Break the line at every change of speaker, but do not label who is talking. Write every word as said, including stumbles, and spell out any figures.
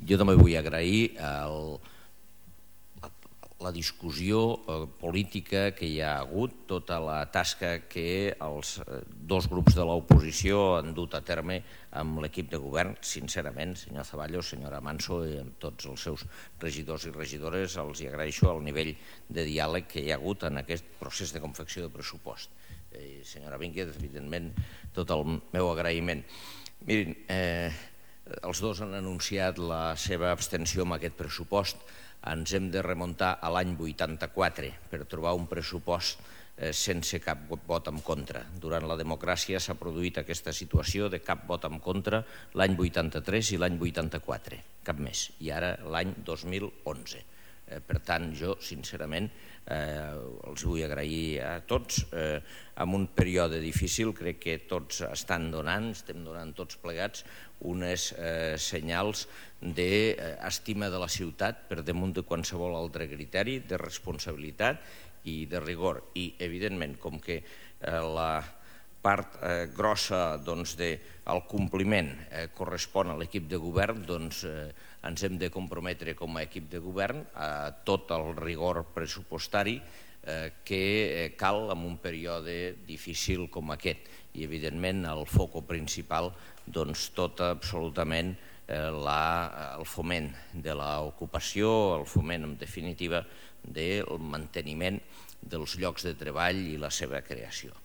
Jo també vull agrair el la discussió política que hi ha hagut, tota la tasca que els dos grups de l'oposició han dut a terme amb l'equip de govern. Sincerament, senyor Zaballos, senyora Manso i amb tots els seus regidors i regidores, els agraeixo el nivell de diàleg que hi ha hagut en aquest procés de confecció de pressupost. Senyora Vínquez, evidentment, tot el meu agraïment. Mirin, els dos han anunciat la seva abstenció amb aquest pressupost. Ens hem de remuntar a l'any vuitanta-quatre per trobar un pressupost sense cap vot en contra. Durant la democràcia s'ha produït aquesta situació de cap vot en contra l'any vuitanta-tres i l'any vuitanta-quatre, cap més, i ara l'any dos mil onze. Per tant, jo, sincerament, els vull agrair a tots. En un període difícil crec que tots estan donant, estem donant tots plegats, unes senyals d'estima de la ciutat per damunt de qualsevol altre criteri, de responsabilitat i de rigor. I, evidentment, com que la part grossa del compliment correspon a l'equip de govern, doncs ens hem de comprometre com a equip de govern a tot el rigor pressupostari que cal en un període difícil com aquest. I, evidentment, el foc principal, doncs, tot absolutament el foment de l'ocupació, el foment, en definitiva, del manteniment dels llocs de treball i la seva creació.